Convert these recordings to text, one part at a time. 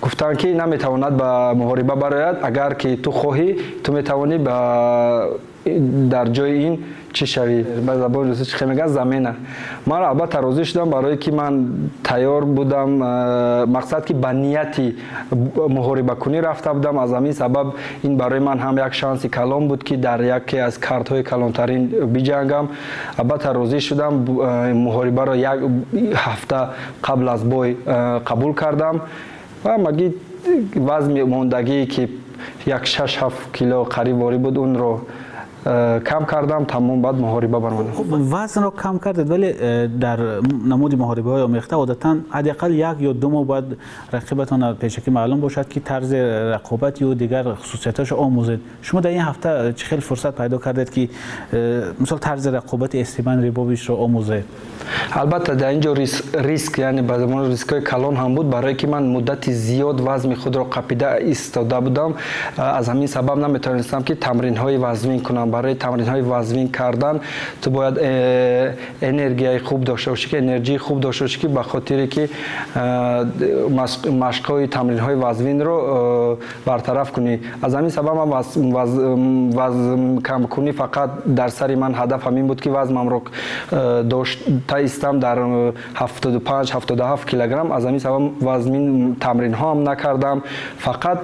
Гуфтанд, ки наметавонад ба муҳориба барояд. Агар ки ту хоҳӣ, ту метавонӣ ба дар ҷои ин чӣ шавӣ, ба забони русӣ чӣ мегӯянд, замена. Ман албатта розӣ шудам, барое ки ман тайёр будам. Мақсад, ки ба нияти муҳорибакунӣ рафта будам. Аз ҳамин сабаб ин барои ман ҳам як шанси калон буд, ки дар яке аз картҳои калонтарин биҷангам. Албатта розӣ шудам. Муҳорибаро як ҳафта қабл аз бой қабул кардам ва ҳамагӣ вазни мондагие, ки як 6-7 кило қариб ворӣ буд, онро кам кардам, тамом, баъд муҳориба баромадам. Вазнро кам кардед, вале дар намуди муҳорибаҳои омехта одатан ҳадди ақал 1 ё 2 моҳ бояд рақибатон пешакӣ маълум бошад, ки тарзи рақобат ё дигар хусусиятҳошро омӯзед. Шумо дар ин ҳафта чӣ хел фурсат пайдо кардед, ки мисол тарзи рақобати Стивен Рибовичро омӯзед? Албатта, дар ин ҷо риск, яъне ба забони рискҳои калон ҳам буд, барое ки ман муддати зиёд вазни худро қапида истода будам. Аз ҳамин сабаб наметавонистам, ки тамринҳои вазнин кунам. Барои тамринҳои вазнин кардан ту бояд энергияи хуб дошта бошӣ, ки энерҷии хуб дошта бошӣ, ки ба хотире ки машқҳои тамринҳои вазнинро бартараф кунӣ. Аз ҳамин сабаб ман вазн камкунӣ фақат дар сари ман ҳадаф ҳамин буд, ки вазнамро дошта истам дар 75, 77 килограмм. Аз ҳамин сабаб вазнин тамринҳо ҳам накардам, фақат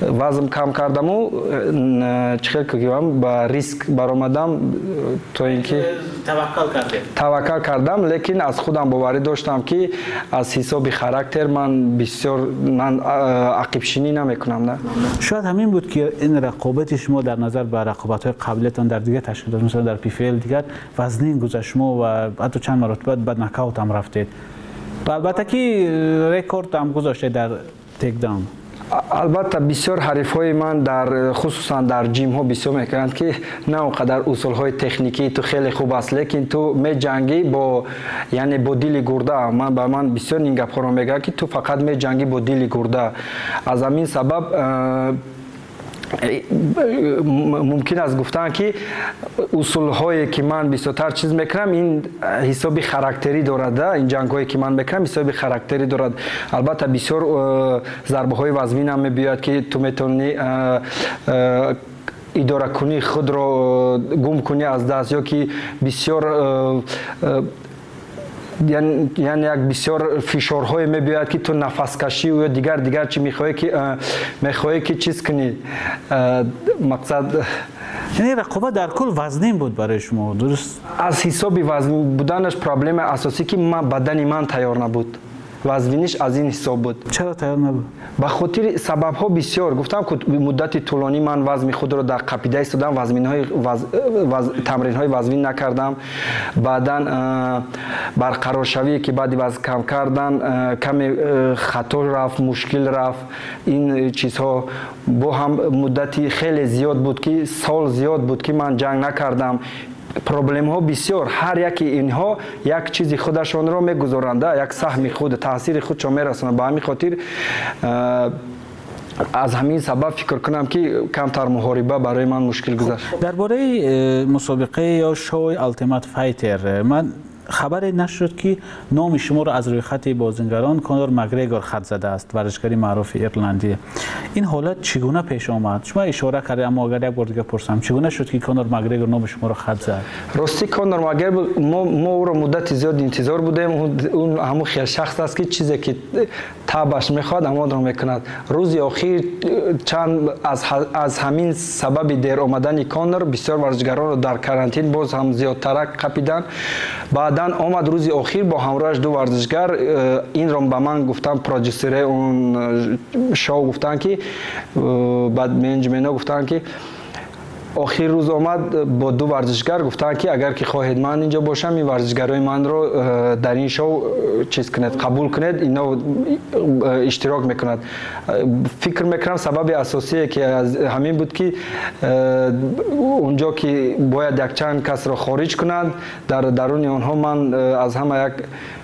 вазн кам кардаму чӣ хел гӯям, ба риск баромадам, то ин ки Таваккал кардед. Таваккал кардам, лекин аз худам боварӣ доштам, ки аз ҳисоби характер ман бисёр ман ақибшинӣ намекунам, да. Шояд ҳамин буд, ки ин рақобати шумо дар назар ба рақобатҳои қаблиятон дар дигар ташкилот, масалан дар ПФЛ, дигар вазнин гузашт. Шумо ва ҳатто чанд маротиба ба нокаут ҳам рафтед ва албатта ки рекорд ҳам гузоштед дар takedown. Албатта, бисёр ҳарифҳои ман дар хусусан дар ҷимҳо бисёр мекунанд, ки на он қадар усулҳои техникии ту хеле хуб аст, лекин ту меҷангӣ бо, яъне бо дили гурда. Ман ба ман бисёр ин гапҳоро мегӯянд, ки ту фақат меҷангӣ бо дили гурда. Аз ҳамин сабаб мумкин аст гуфтан, ки усулҳое ки ман бисёртар чиз мекунам, ин ҳисоби характерӣ дорад. Ин ҷангҳое ки ман мекунам, ҳисоби характерӣ дорад. Албатта, бисёр зарбаҳои вазнинам мебиёяд, ки ту метавонӣ идоракунии худро гум кунӣ аз даст ё ки бисёр, яъне як бисёр фишорҳое мебиёяд, ки ту нафаскашӣ ё дигар дигар чи мехоҳӣ, ки мехоҳӣ, ки чиз кунӣ, мақсад. Яъне рақобат дар кул вазнин буд барои шумо, дуруст? Аз ҳисоби вазнин буданаш проблемаи асосӣ, ки бадани ман тайёр набуд. Вазниниш аз ин ҳисоб буд. Чаро тайёр набуд? Ба хотири сабабҳо бисёр гуфтам, ки муддати тӯлонӣ ман вазни худро дар қапида истодам, тамринҳои вазнин накардам. Баъдан барқароршавие, ки баъди вазн кам кардан каме хато рафт, мушкил рафт. Ин чизҳо бо ҳам муддати хеле зиёд буд, ки сол зиёд буд, ки ман ҷанг накардам. Проблемҳо бисёр, ҳар яки инҳо як чизи худашонро мегузоранд, як саҳми худ, таъсири худшон мерасонанд. Ба ҳамин хотир, аз ҳамин сабаб фикр кунам, ки камтар муҳориба барои ман мушкил гузашт. Дар бораи мусобиқаи ё шоуи Ultimate Fighter ман хабаре нашуд, ки номи шуморо аз рӯйхати бозингарон Конор Макгрегор хат задааст, варзишгари маъруфи ирландӣ. Ин ҳолат чӣ гуна пеш омад? Шумо ишора кардед, аммо агар як бор дига пурсам, чӣ гуна шуд, ки Конор Макгрегор номи шуморо хат зад? Ростӣ, Конор Макгрегор, мо ӯро муддати зиёд интизор будем. Ӯ ҳамун хел шахс аст, ки чизе ки табаш мехоҳад, ҳамонро мекунад. Рӯзи охир чанд аз ҳамин сабаби дер омадани Конор бисёр варзишгаронро дар карантин боз ҳам зиёдтарак қапиданд. Баъдан омад рӯзи охир бо ҳамроҳаш ду варзишгар. Инро ба ман гуфтанд, продюсере он шоу гуфтанд, ки баъд менеҷментҳо гуфтанд, ки охир рӯз омад бо ду варзишгар. Гуфтанд, ки агар ки хоҳед ман инҷо бошам, ин варзишгарои манро дар ин шоу чиз кунед, қабул кунед, ино иштирок мекунад. Фикр мекунам, сабаби асосие ки ҳамин буд, ки унҷо ки бояд якчанд касро хориҷ кунанд, дар даруни онҳо ман аз ҳама як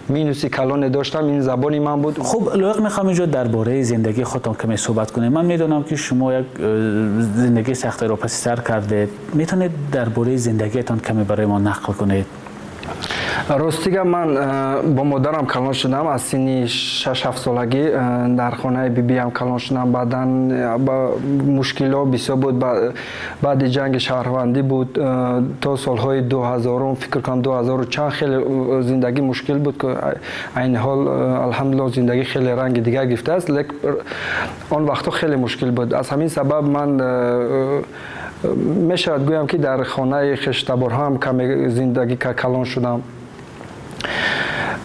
минуси калоне доштам, ин забони ман буд. Хуб, лоиқ, мехоҳам инҷо дар бораи зиндагии худтон каме суҳбат кунем. Ман медонам, ки шумо як зиндагии сахтеро паси сар кардед. Метавонед дар бораи зиндагиятон каме барои мо нақл кунед? Ростига, ман бо модарам калон шудам. Аз синни 6-7 солагӣ дар хонаи бибиам калон шудам. Баъдан мушкилҳо бисёр буд, баъди ҷанги шаҳрвандӣ буд, то солҳои 2000-ум, фикр кунам, 2000-у чанд, хеле зиндагӣ мушкил буд, ки айни ҳол, алҳамдулилло, зиндагӣ хеле ранги дигар гирифтааст, лек он вақтҳо хеле мушкил буд. Аз ҳамин сабаб ман мешавад гӯям, ки дар хонаи хештаборҳоам каме зиндагӣ калон шудам.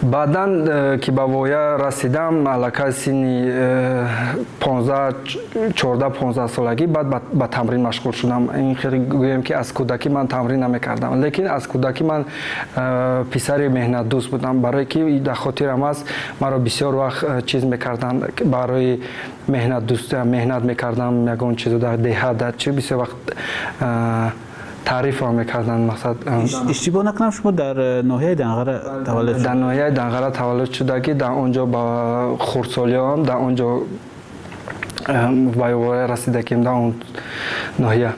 Баъдан ки ба воя расидам, аллакай синни 14-15 солагӣ, баъд ба тамрин машғул шудам. Ин хеле гӯем, ки аз кӯдакӣ ман тамрин намекардам, лекин аз кӯдакӣ ман писари меҳнатдӯст будам, барое ки дар хотирам аст, маро бисёр вақт чиз мекарданд барои меҳнатдӯст, меҳнат мекардам, ягон чизо дар деҳа, дар чи, бисёр вақт таърифам мекарданд, мақсад. Иштибоҳ накунам, шумо дар ноҳияи Данғара таваллуд? Дар ноҳияи Данғара таваллуд шудагӣ, дар он ҷо ба хурдсолиам, дар он ҷо ба воя расидагим, дар он ноҳия.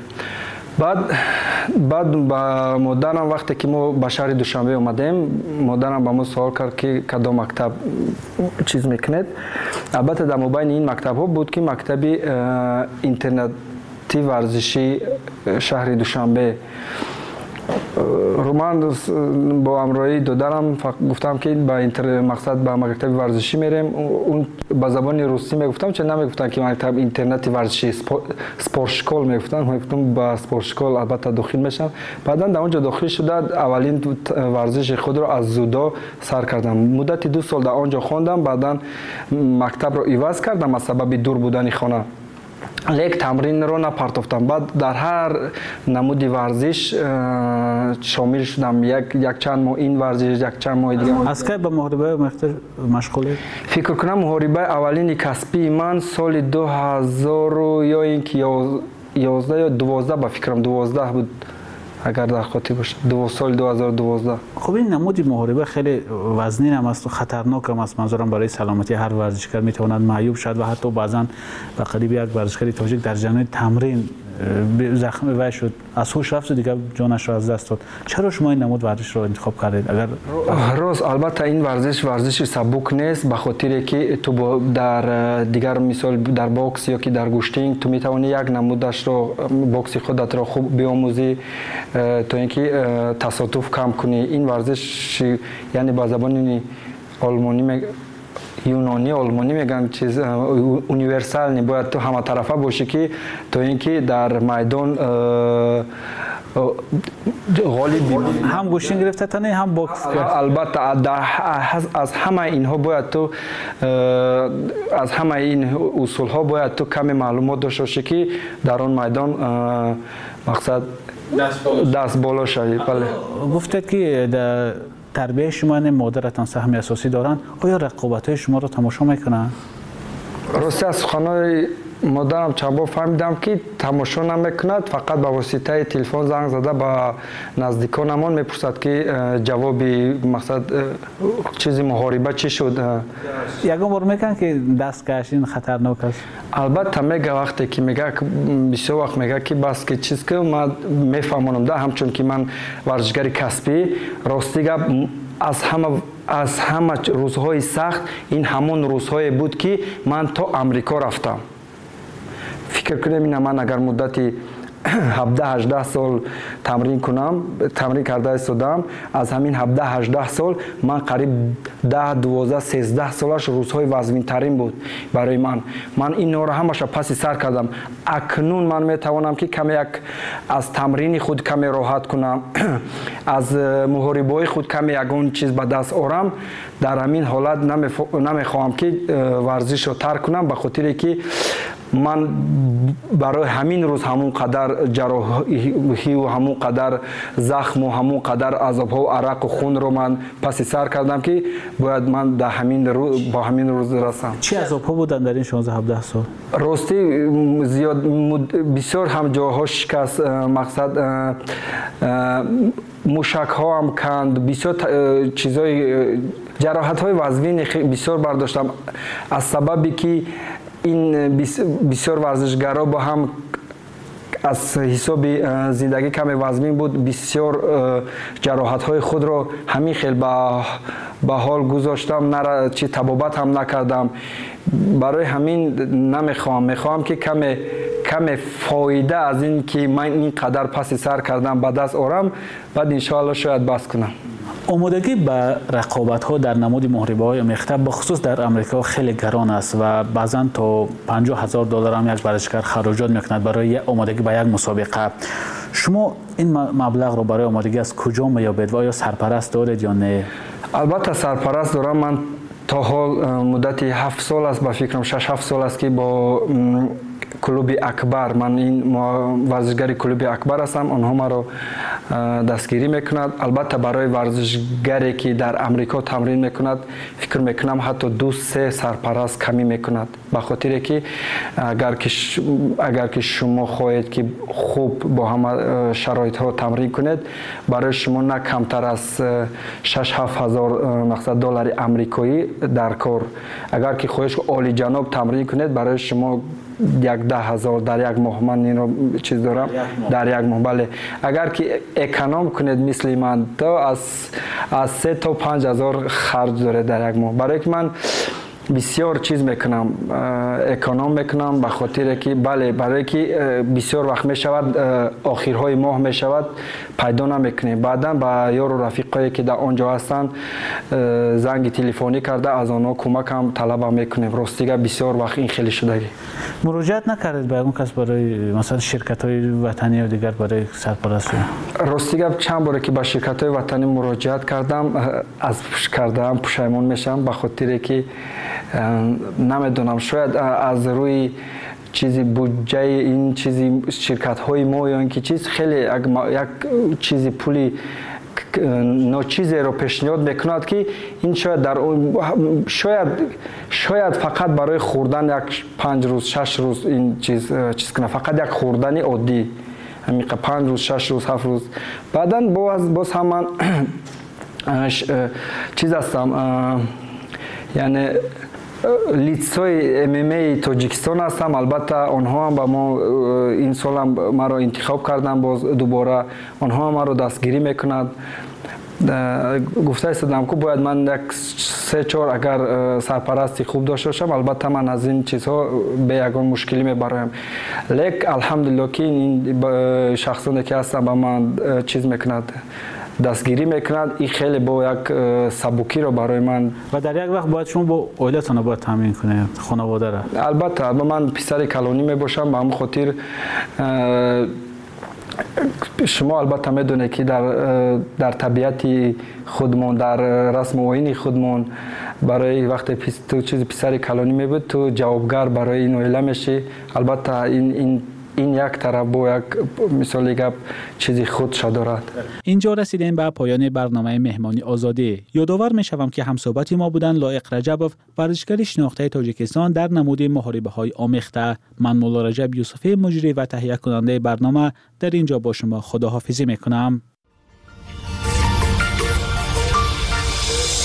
Баъд ба модарам, вақте ки мо ба шаҳри Душанбе омадем, модарам ба мо суол кард, ки кадом мактаб чиз мекунед. Албатта, дар мобайни ин мактабҳо буд, ки мактаби интернати варзишии шаҳри Душанбе. Ман бо ҳамроҳии додарам гуфтам, ки ба мақсад ба мактаби варзишӣ мерем. Он ба забони русӣ мегуфтам, чун намегуфтам, ки мактаб интернати варзишӣ, спортшкол мегуфтам. Мегуфтам, ба спортшкол албатта дохил мешавам. Баъдан дар он ҷо дохил шуда, аввалин варзиши худро аз дзюдо сар кардам. Муддати 2 сол дар он ҷо хондам. Баъдан мактабро иваз кардам аз сабаби дур будани хона, лек тамринро напартофтам. Баъд дар ҳар намуди варзиш шомил шудам, якчанд моҳ ин варзиш, якчанд моҳи дигар. Аз кай ба муҳорибаи машғулед? Фикр кунам, муҳорибаи аввалини касбии ман соли 2000 ё ин ки 11 ё 12, ба фикрам, 12 буд, агар дар хотир бошад, соли 2012. Хуб, ин намуди муҳориба хеле вазнин ҳам аст, хатарнок ҳам аст. Манзурам, барои саломатии ҳар варзишгар метавонад маъюб шавад ва ҳатто баъзан ба қариби як варзишгари тоҷик дар ҷараёни тамрин захми вай шуд, аз ҳуш рафту дигар ҷонашро аз даст дод. Чаро шумо ин намуд варзишро интихоб кардед, агар? Рост, албатта, ин варзиш варзиши сабук нест, ба хотире ки ту дар дигар, мисол, дар бокс ё ки дар гӯштинг ту метавонӣ як намудашро, бокси худатро хуб биомӯзӣ, то ин ки тасодуф кам кунӣ. Ин варзиш, яъне ба забони олмонӣ, юнонӣ, олмонӣ мегӯянд, чиз универсальный, бояд ту ҳаматарафа бошӣ, ки то ин ки дар майдон ғолиб. Ҳам гӯштин гирифта тане, ҳам бокс? Албатта, аз ҳамаи инҳо бояд ту, аз ҳамаи ин усулҳо бояд ту каме маълумот дошта бошӣ, ки дар он майдон, мақсад, даст боло шавӣ, бале. Гуфтед, ки тарбияи шумо, яъне модаратон саҳми асосӣ доранд. Оё рақобатҳои шуморо тамошо мекунанд? Рости, аз суханои модарам чанд бор фаҳмидам, ки тамошо намекунад, фақат ба воситаи телефон занг зада ба наздиконамон мепурсад, ки ҷавоби, мақсад, чизи муҳориба чӣ шуд. Ягон бор мекунанд, ки даст каш, ин хатарнок аст? Албатта, мега. Вақте ки мега, бисёр вақт мега, ки бас, ки чиз, ки ман мефаҳмонам да, ҳамчун ки ман варзишгари касбӣ. Рости гап, аз ҳама рӯзҳои сахт ин ҳамон рӯзҳое буд, ки ман то Амрико рафтам. Фикр кунем, ина ман агар муддати 17-18 сол тамрин кунам, тамрин карда истодам, аз ҳамин 17-18 сол ман қариб 10, 12, 13 солаш рӯзҳои вазнинтарин буд барои ман. Ман инҳоро ҳамаша паси сар кардам. Акнун ман метавонам, ки каме як аз тамрини худ каме роҳат кунам, аз муҳорибаҳои худ каме ягон чиз ба даст орам. Дар ҳамин ҳолат намехоҳам, ки варзишро тарк кунам, ба хотире ки ман барои ҳамин рӯз ҳамон қадар ҷарроҳию ҳамон қадар захму ҳамон қадар азобҳо, арақу хунро ман паси сар кардам, ки бояд ман дар ҳамин ба ҳамин рӯз расам. Чӣ азобҳо буданд дар ин 16-17 сол? Ростӣ, зиёд, бисёр ҳам ҷойҳо шикаст, мақсад, мушакҳоам канд, бисёр чизҳои, ҷароҳатҳои вазнини бисёр бардоштам, аз сабаби ки ин бисёр варзишгаро бо ҳам Аз ҳисоби зиндагӣ каме вазмин буд, бисёр ҷароҳатҳои худро ҳамин хел ба ҳол гузоштам, чи табобат ҳам накардам. Барои ҳамин намехоҳам, мехоҳам ки каме фоида аз ин ки ман ин қадар паси сар кардам ба даст орам, баъд иншоалло шояд бас кунам. Омодагӣ ба рақобатҳо дар намуди муҳорибаҳои омехта бахусус дар Амрико хеле гарон аст ва баъзан то 50,000 доллар ҳам як варзишгар хароҷот мекунад барои омодагӣ ба як мусобиқа. Шумо ин маблағро барои омодагӣ аз куҷо меёбед ва оё сарпараст доред ё не? Албатта сарпараст дорам. Ман то ҳол муддати 7 сол аст, ба фикрам 6-7 сол аст ки бо клуби Акбар, ман ин варзишгари клуби Акбар ҳастам, онҳо маро дастгирӣ мекунад. Албатта барои варзишгаре ки дар Амрико тамрин мекунад, фикр мекунам ҳатто 2-3 сарпараст камӣ мекунад, ба хотире ки агар ки шумо хоҳед ки хуб бо ҳама шароитҳо тамрин кунед, барои шумо на камтар аз 6-7 ҳазор мақсад доллари амрикоӣ дар кор. Агар ки хоҳед олиҷаноб тамрин кунед, барои шумо 10,000 дар як моҳ, ман инро чиз дорам, дар як моҳ, бале. Агар ки эконом кунед мисли ман, то аз 3 то 5 ҳазор харҷ доред дар як моҳ. Барои ки ман бисёр чиз мекунам, эконом мекунам, ба хотире ки бале, барое ки бисёр вақт мешавад, охирҳои моҳ мешавад, пайдо намекунем. Баъдан ба ёру рафиқое ки дар он ҷо ҳастанд занги телефонӣ карда аз онҳо кӯмакам талабам мекунем. Ростига бисёр вақт ин хеле шудагӣ. Муроҷиат накардед ба ягон кас барои масалан ширкатҳои ватанӣ ё дигар барои сарпараст? Ростига чанд боре ки ба ширкатҳои ватанӣ муроҷиат кардам, аз кардаам пушаймон мешавам, ба хотире ки намедонам, шояд аз рӯи чизи буҷаи ин чизи ширкатҳои мо ё ин ки чиз хеле як чизи пули ночизеро пешниҳод мекунад ки ин шояд дар шояд фақат барои хӯрдан як 5 рӯз 6 рӯз ин чиз кунад, фақат як хӯрдани оддӣ, ҳамин 5 рӯз 6 рӯз 7 рӯз. Баъдан боз ҳам ман чиз ҳастам, яъне лицои ММА Тоҷикистон ҳастам. Албатта онҳо ҳам ба мо ин солам маро интихоб карданд, боз дубора онҳо ҳам маро дастгирӣ мекунанд. Гуфта истодам ку бояд ман як 3-4 агар сарпарасти хуб дошта бошам, албатта ман аз ин чизҳо бе ягон мушкилӣ мебароям. Лек алҳамдулилло ки ин шахсоне ки ҳастанд ба ман чиз мекунад, дастгирӣ мекунад, ин хеле бо як сабукиро барои ман. Ва дар як вақт бояд шумо бо оилатонро бояд таъмин кунед, хонаводаро. Албатта ман писари калонӣ мебошам, ба ҳамин хотир шумо албатта медонед ки дар табиати худмон, дар расму оини худмон барои вақте ту чизи писари калонӣ мебуд, ту ҷавобгар барои ин оила мешӣ. Албатта ин як тараф бо як мисоли гап чизи худша дорад. Инҷо расидем ба поёни барномаи меҳмони озодӣ. Ёдовар мешавам ки ҳамсӯҳбати мо буданд Лоиқ Раҷабов, варзишгари шинохтаи Тоҷикистон дар намуди муҳорибаҳои омехта. Ман Мулло Раҷаб Юсуфӣ, муҷрӣ ва таҳиякунандаи барнома, дар инҷо бо шумо худоҳофизӣ мекунам.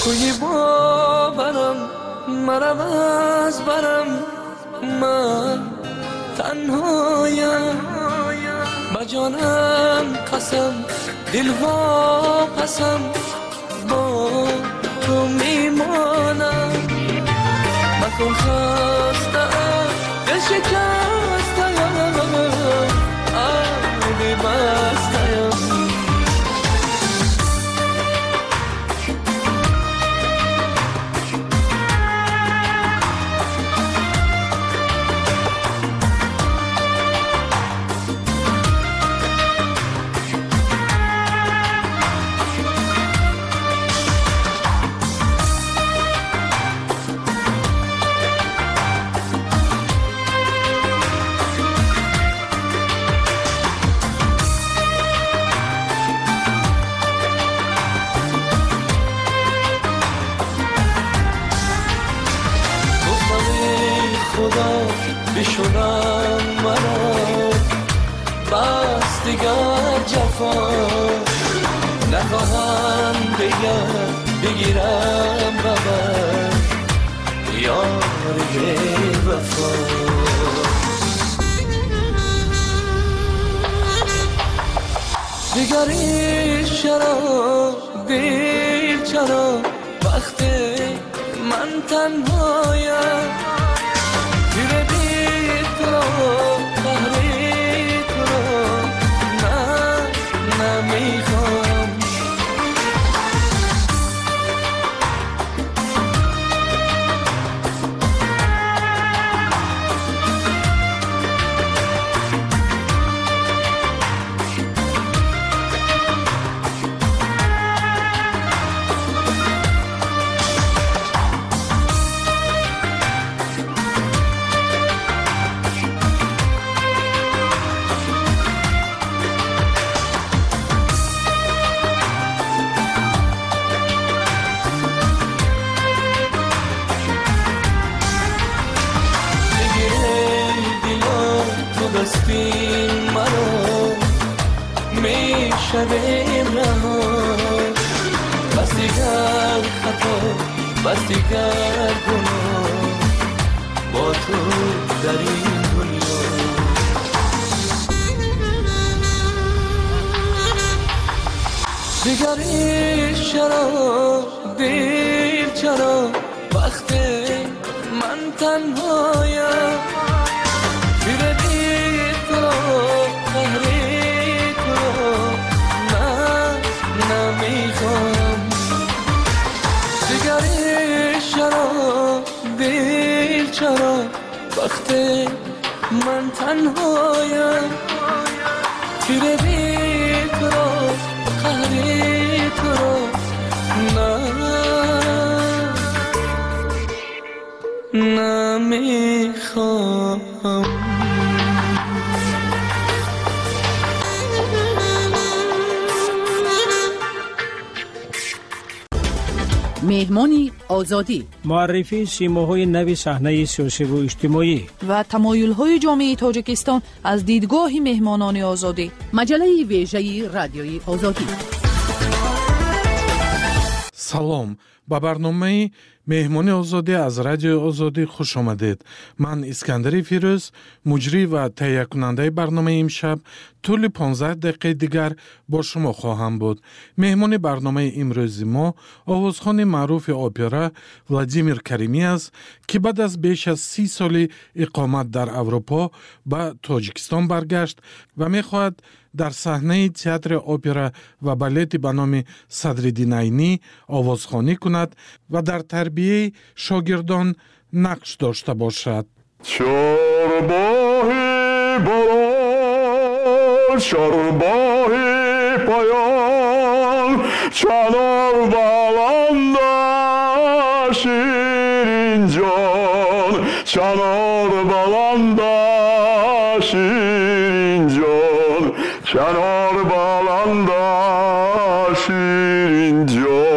Куи боварам марав аз барам, ман танҳоям, ба ҷонам қасам, дил вопасам, бо ту мемонам. Макун хастаам, дил шикастаам, оби бастаям. بشونم مرا بس دیگر جفا نخواهم دیگر بگیرم بابا یار بی وفا. دیگری چرا دل چرا وقت من تنهایم تیر بی تو را قهری تو را نه نمیخوام. شویم رها بس دیگر خطا بس دیگر گناه با تو در این دنیا. دیگری چرا دل چرا وقت من تنهایم تیر بی تو را قهری تو را نمیخوام. دیگری چرا دل چرا وقت من تنهایم تیر بی تو را قهری تو را نه نمیخوام. Меҳмони Озодӣ, муаррифии симоҳои нави саҳнаи сиёсиву иҷтимоӣ ва тамоюлҳои ҷомеаи Тоҷикистон аз дидгоҳи меҳмонони Озодӣ. Маҷаллаи вежаи Радиои Озодӣ. Салом, ба барномаи Меҳмони Озодӣ аз Радиои Озодӣ хуш омадед. Ман Искандари Фирӯз, муҷрӣ ва таҳиякунандаи барномаи имшаб, тӯли 15 дақиқаи дигар бо шумо хоҳам буд. Меҳмони барномаи имрӯзи мо овозхони маъруфи опера Владимир Каримӣ аст, ки баъд аз беш аз 30 соли иқомат дар Аврупо ба Тоҷикистон баргашт ва мехоҳад дар саҳнаи театри опера ва балети ба номи Садриддин Айнӣ овозхонӣ кунад ва дар тарбияи шогирдон нақш дошта бошад. Чорбоҳи боло, чорбоҳи поён, чанор баланда ширинҷон, чанор баланда ширинҷон, чанор баланда ширинҷон.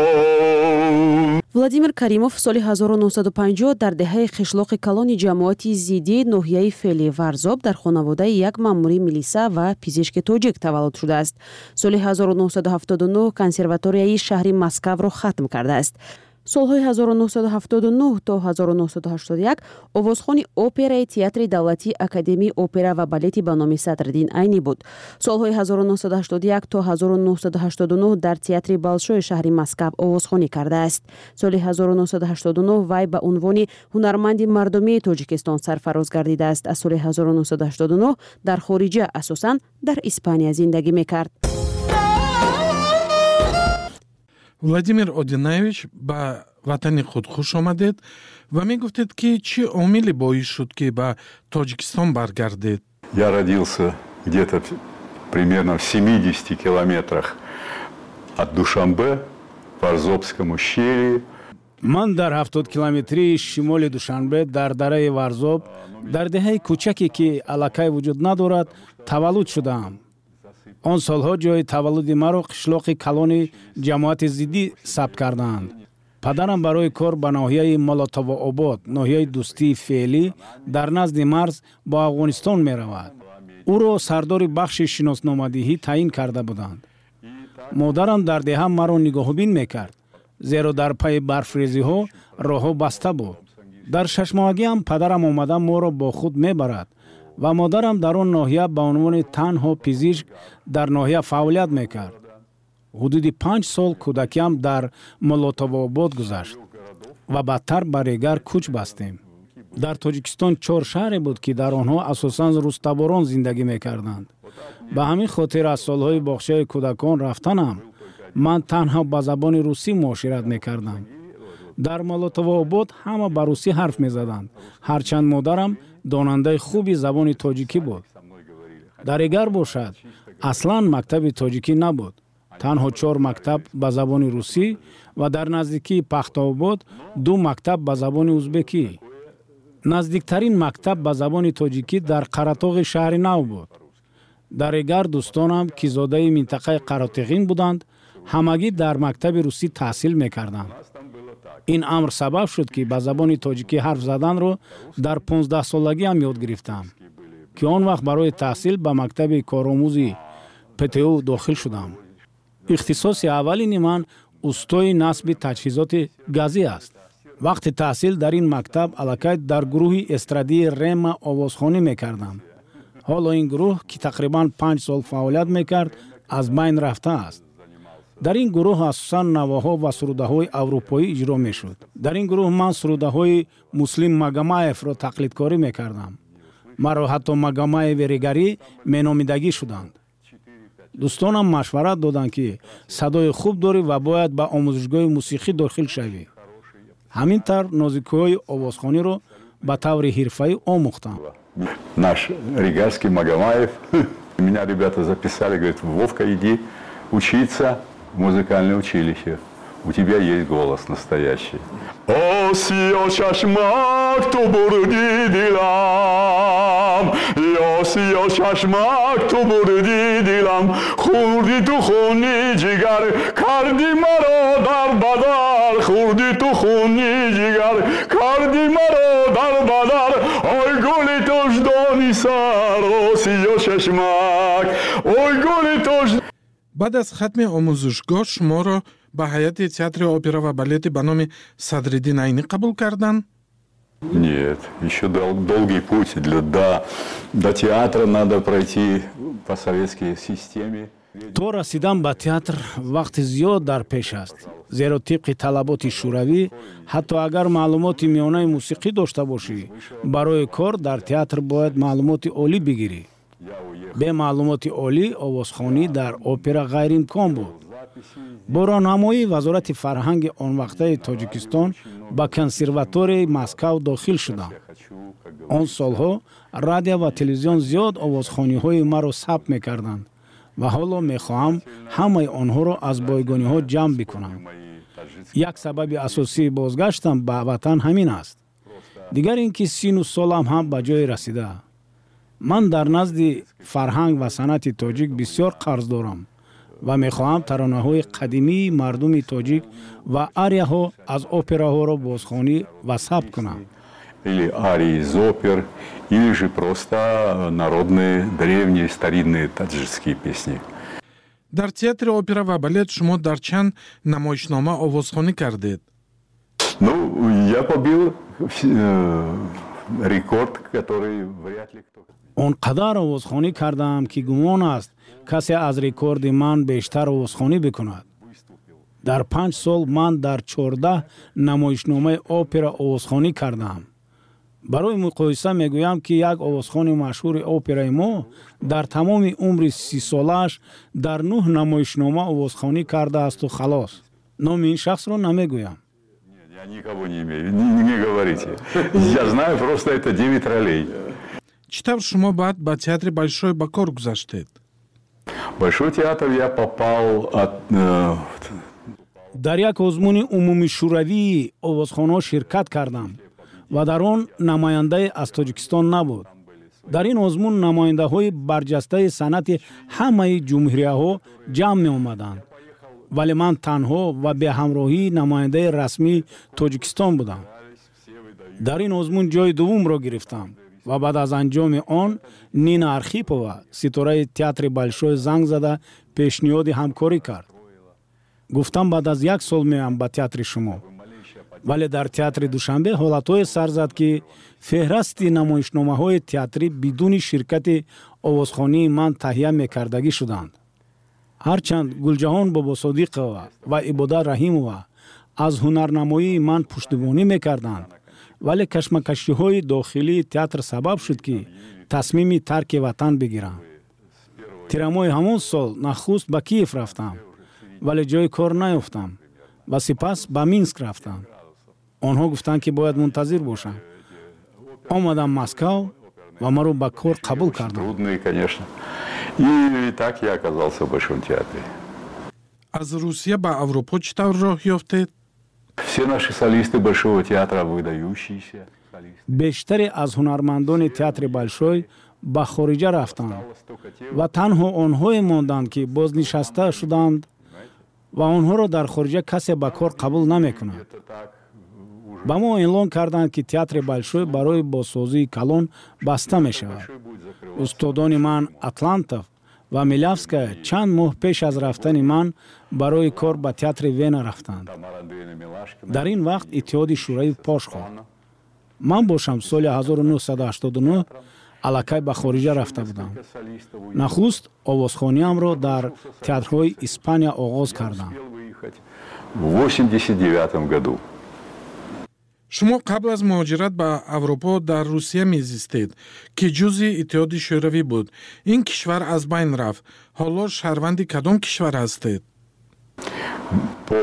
Владимир Каримов соли 1950 дар деҳаи қишлоқи калони ҷамоати Зидии ноҳияи феълии Варзоб дар хонаводаи як маъмури милиса ва пизишки тоҷик таваллуд шудааст. Соли 1979 консерваторияи шаҳри Москавро хатм кардааст. Солҳои 1979 то 1981 овозхони операи театри давлатии Академияи опера ва балети ба номи Садриддин Айнӣ буд. Солҳои 1981 то 1989 дар театри Болшои шаҳри Москав овозхонӣ кардааст. Соли 1989 вай ба унвони ҳунарманди мардумии Тоҷикистон сарфароз гардидааст. Аз соли 1989 дар хориҷа, асосан дар Испания зиндагӣ мекард. Владимир Одинаевич, ба ватани худ хуш омадед ва мегуфтед, ки чӣ омиле боис шуд, ки ба Тоҷикистон баргардед? Я родился где-то примерно в 70 километрах от Душанбе, в Варзобском ущелье. Ман дар 70 километрии шимоли Душанбе дар дараи Варзоб, дар деҳаи кӯчаке, ки аллакай вуҷуд надорад, таваллуд шудаам. Он солҳо ҷои таваллуди маро қишлоқи калони ҷамоати Зиддӣ сабт кардаанд. Падарам барои кор ба ноҳияи Молотовообод, ноҳияи Дӯстии феълӣ, дар назди марз бо Афғонистон меравад. Ӯро сардори бахши шиносномадиҳӣ таъин карда буданд. Модарам дар деҳа маро нигоҳубин мекард, зеро дар пайи барфрезиҳо роҳҳо баста буд. Дар шашмоҳагиам падарам омада моро бо худ мебарад Ва модарам дар он ноҳия ба унвони танҳо пизишк дар ноҳия фаъолият мекард. Ҳудуди 5 сол кӯдакиам дар Моллотобообод гузашт ва баъдтар ба Регар кӯч бастем. Дар Тоҷикистон чор шаҳре буд, ки дар онҳо асосан рустаборон зиндагӣ мекарданд. Ба ҳамин хотир аз солҳои боғчаи кӯдакон рафтанам ман танҳо ба забони русӣ муошират мекардам. Дар Моллотовообод ҳама ба русӣ ҳарф мезаданд, ҳарчанд модарам донандаи хуби забони тоҷикӣ буд. Дар Регар бошад, аслан мактаби тоҷикӣ набуд, танҳо чор мактаб ба забони русӣ ва дар наздикии Пахтаобод ду мактаб ба забони узбекӣ. Наздиктарин мактаб ба забони тоҷикӣ дар Қаратоғи шаҳри нав буд. Дар Регар дӯстонам, ки зодаи минтақаи Қаротиғин буданд, ҳамагӣ дар мактаби русӣ таҳсил мекарданд. Ин амр сабаб шуд, ки ба забони тоҷикӣ ҳарф заданро дар 15-солагиам ёд гирифтам, ки он вақт барои таҳсил ба мактаби коромӯзи ПТУ дохил шудам. Ихтисоси аввалини ман устои насби таҷҳизоти газӣ аст. Вақти таҳсил дар ин мактаб аллакай дар гурӯҳи эстрадии Рема овозхонӣ мекардам. Ҳоло ин гурӯҳ, ки тақрибан 5 сол фаъолият мекард, аз байн рафтааст. Дар ин гурӯҳ асосан навоҳо ва сурудаҳои аврупоӣ иҷро мешуд. Дар ин гурӯҳ ман сурудаҳои Муслим Магомаевро тақлидкорӣ мекардам. Маро ҳатто Магомаеви Регарӣ меномидагӣ шуданд. Дӯстонам машварат доданд, ки садои хуб дорӣ ва бояд ба омӯзишгоҳи мусиқӣ дохил шавӣ. Ҳамин тавр нозикиҳои овозхониро ба таври ҳирфаӣ омӯхтам. Наш регарский Магомаев. Меня ребята записали, говорят: «Вовка, иди учиться в музыкальное училище. У тебя есть голос настоящий». О, сиё чашмак, ту бурди дилам, ё сиё чашмак, ту бурди дилам, хӯрди ту хуни ҷигар, карди маро дар бадар, хӯрди ту хуни ҷигар, карди маро дар бадар, ой гули тоҷдони сар, о сиё чашмак, ой гули тоҷ. Баъд аз хатми омӯзишгоҳ шуморо ба ҳайати Театри опера ва балети ба номи Садриддин Айнӣ қабул карданд? Нет, еще долгий путь. До театра надо пройти по советской системе. То расидан ба театр вақти зиёд дар пеш аст, зеро тибқи талаботи шӯравӣ, ҳатто агар маълумоти миёнаи мусиқӣ дошта бошӣ, барои кор дар театр бояд маълумоти олӣ бигирӣ. Бе маълумоти олӣ овозхонӣ дар опера ғайриимкон буд. Бо роҳнамоии Вазорати фарҳанги онвақтаи Тоҷикистон ба консерваторияи Москав дохил шудам. Он солҳо радио ва телевизион зиёд овозхониҳои маро сабт мекарданд ва ҳоло мехоҳам ҳамаи онҳоро аз бойгониҳо ҷамъ бикунам. Як сабаби асосии бозгаштам ба ватан ҳамин аст. Дигар ин ки сину солам ҳам ба ҷое расида. Ман дар назди фарҳанг ва санъати тоҷик бисёр қарз дорам ва мехоҳам таронаҳои қадимии мардуми тоҷик ва арияҳо аз операҳоро бозхонӣ ва сабт кунам. Или арии из опер, или же просто народные, древние, старинные таджикские песни. Дар Театри опера ва балет шумо дар чанд намоишнома овозхонӣ кардед? Ну, я побил рекорд, который вряд ли кто. Он қадар овозхонӣ кардаам, ки гумон аст, касе аз рекорди ман бештар овозхонӣ бикунад. Дар 5 сол ман дар 14 намоишномаи опера овозхонӣ кардаам. Барои муқоиса мегӯям, ки як овозхони машҳури операи мо дар тамоми умри 30-солааш дар нӯҳ намоишнома овозхонӣ кардаасту халос. Номи ин шахсро намегӯям. Я никого не имею, не говорите. Я знаю просто, это 9 ролей. Чӣ тавр шумо баъд ба Театри Большой ба кор гузаштед? Большой театр я попал от Дар як озмуни умумишӯравии овозхонҳо ширкат кардам ва дар он намояндае аз Тоҷикистон набуд. Дар ин озмун намояндаҳои барҷастаи санъати ҳамаи ҷумҳурияҳо ҷамъ меомаданд, вале ман танҳо ва беҳамроҳии намояндаи расмии Тоҷикистон будам. Дар ин озмун ҷои дуввумро гирифтам ва баъд аз анҷоми он Нина Архипова, ситораи Театри Большой, занг зада пешниҳоди ҳамкорӣ кард. Гуфтам, баъд аз як сол меоям ба театри шумо. Вале дар театри Душанбе ҳолатҳое сар зад, ки феҳрасти намоишномаҳои театрӣ бидуни ширкати овозхонии ман таҳия мекардагӣ шуданд. Ҳарчанд Гулҷаҳон Бобосодиқова ва Ибодат Раҳимова аз ҳунарнамоии ман пуштибонӣ мекарданд, вале кашмакашиҳои дохилии театр сабаб шуд, ки тасмими тарки ватан бигирам. Тирамоҳи ҳамон сол нахуст ба Киев рафтам, вале ҷои кор наёфтам ва сипас ба Минск рафтам. Онҳо гуфтанд, ки бояд мунтазир бошам. Омадам Москав ва маро ба кор қабул карданд. Трудные, конечно. И так я оказался в Большом театре. Аз Русия ба Аврупо чӣ тавр роҳ ёфтед? Все наши солисты Большого театра выдающиеся. Бештаре аз ҳунармандони театри Большой ба хориҷа рафтанд ва танҳо онҳое монданд, ки бознишаста шуданд ва онҳоро дар хориҷа касе ба кор қабул намекунад. Ба мо эълон карданд, ки театри Большой барои бозсозии калон баста мешавад. Устодони ман Атлантов ва Милявская чанд моҳ пеш аз рафтани ман барои кор ба театри Вена рафтанд. Дар ин вақт Иттиҳоди Шӯравӣ пош хӯрд. Ман бошам соли 1989 аллакай ба хориҷа рафта будам. Нахуст овозхониамро дар театрҳои Испания оғоз кардам. В 89 году. Шумо қабл аз муҳоҷират ба Аврупо дар Русия мезистед, ки ҷузъи Иттиҳоди Шӯравӣ буд. Ин кишвар аз байн рафт. Ҳоло шаҳрванди кадом кишвар ҳастед? По,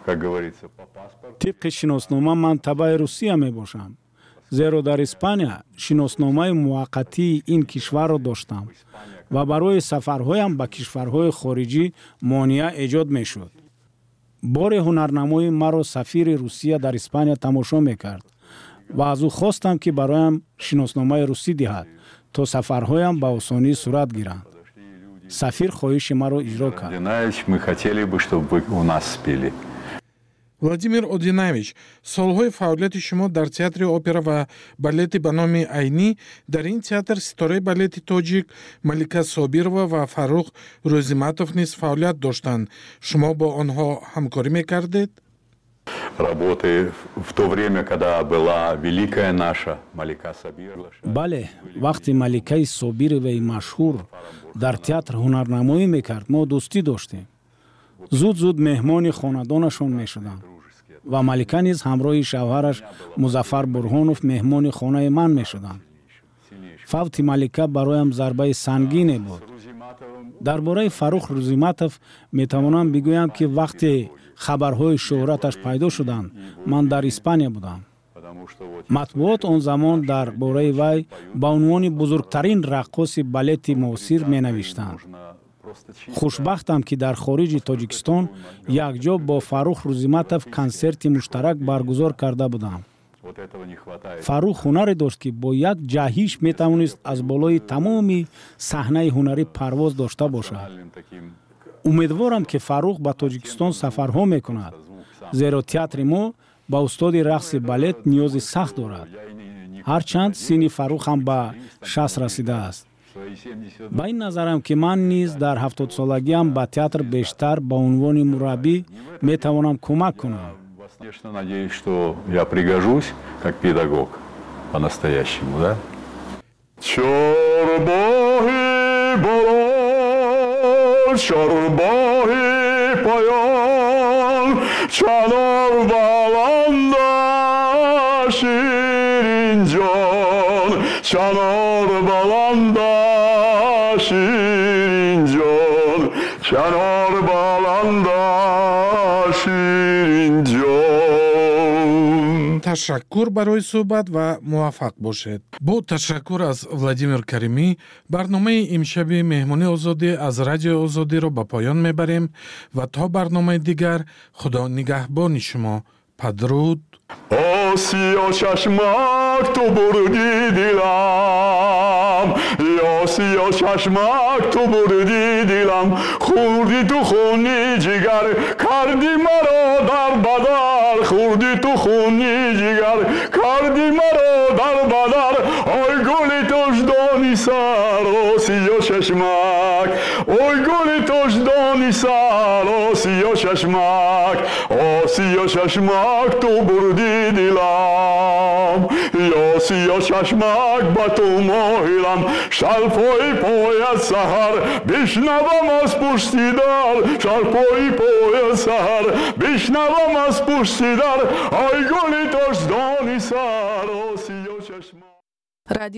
как говорится, по паспорту. Тибқи шиноснома ман табаи Русия мебошам, зеро дар Испания шиносномаи муваққатии ин кишварро доштам ва барои сафарҳоям ба кишварҳои хориҷӣ монеа эҷод мешуд. Боре ҳунарнамои маро сафири Русия дар Испания тамошо мекард ва аз ӯ хостам, ки бароям шиносномаи русӣ диҳад, то сафарҳоям ба осонӣ сурат гиранд. Сафир хоҳиши маро иҷро кард. Одинаевич, мы хотели бы, чтобы вы у нас спели. Владимир Одинаевич, солҳои фаъолияти шумо дар театри опера ва балети ба номи Айнӣ. Дар ин театр ситораи балети тоҷик Малика Собирова ва Фаррух Рӯзиматов низ фаъолият доштанд. Шумо бо онҳо ҳамкорӣ мекардед? Работы в то время, когда была великая наша Малика Сабирова. Бале, вақти Маликаи Собироваи машҳур дар театр ҳунарнамоӣ мекард, мо дӯстӣ доштем. Зуд зуд меҳмони хонадонашон мешудам ва Малика низ ҳамроҳи шавҳараш Музаффар Бурҳонов меҳмони хонаи ман мешуданд. Фавти Малика бароям зарбаи сангине буд. Дар бораи Фаррух Рӯзиматов метавонам бигӯям, ки вақте хабарҳои шӯҳраташ пайдо шуданд, ман дар Испания будам. Матбуот он замон дар бораи вай ба унвони бузургтарин раққоси балети муосир менавиштанд. Хушбахтам, ки дар хориҷи Тоҷикистон якҷо бо Фаррух Рӯзиматов консерти муштарак баргузор карда будам. Фаррух ҳунаре дошт, ки бо як ҷаҳиш метавонист аз болои тамоми саҳнаи ҳунарӣ парвоз дошта бошад. Умедворам, ки Фаррух ба Тоҷикистон сафарҳо мекунад, зеро театри мо ба устоди рақси балет ниёзи сахт дорад. Ҳарчанд синни Фаррух ҳам ба 60 расидааст. Ба ин назарам, ки ман низ дар 70-солагиам ба театр бештар ба унвони мураббӣ метавонам кӯмак кунам. Конечно, надеюсь, что я пригожусь как педагог по-настоящему, да? Чорбоғи боло, чорбоғи поён, чанор баланда, Ширинҷон, чанор баланда, Ширинҷон, чанор баланда, Ширинҷон. Ташаккур барои суҳбат ва муваффақ бошед. Бо ташаккур аз Владимир Каримӣ барномаи имшаби Меҳмони Озодӣ аз Радиои Озодиро ба поён мебарем ва то барномаи дигар Худо нигаҳбони шумо. Падруд. Осиё чашмак, ту бурди дилам, Осиё чашмак, ту бурди дилам, хӯрди ту хуни ҷигар, карди маро дар бадар, хӯрди ту хуни ҷигар, карди маро дар бадар, ой гули тоҷдони сар, осиё чашмак, ой гули тоҷдони. тоҷдони сар, осиё чашмак, осиё чашмак, ту бурди дилам, осиё чашмак, ба ту моҳилам. Шалфои пояд саҳар, бишнавам аз пушти дар, шалфои пояд саҳар, бишнавам аз пушти дар, ай гули тоҷдони сар, осиё чашмак. Радио.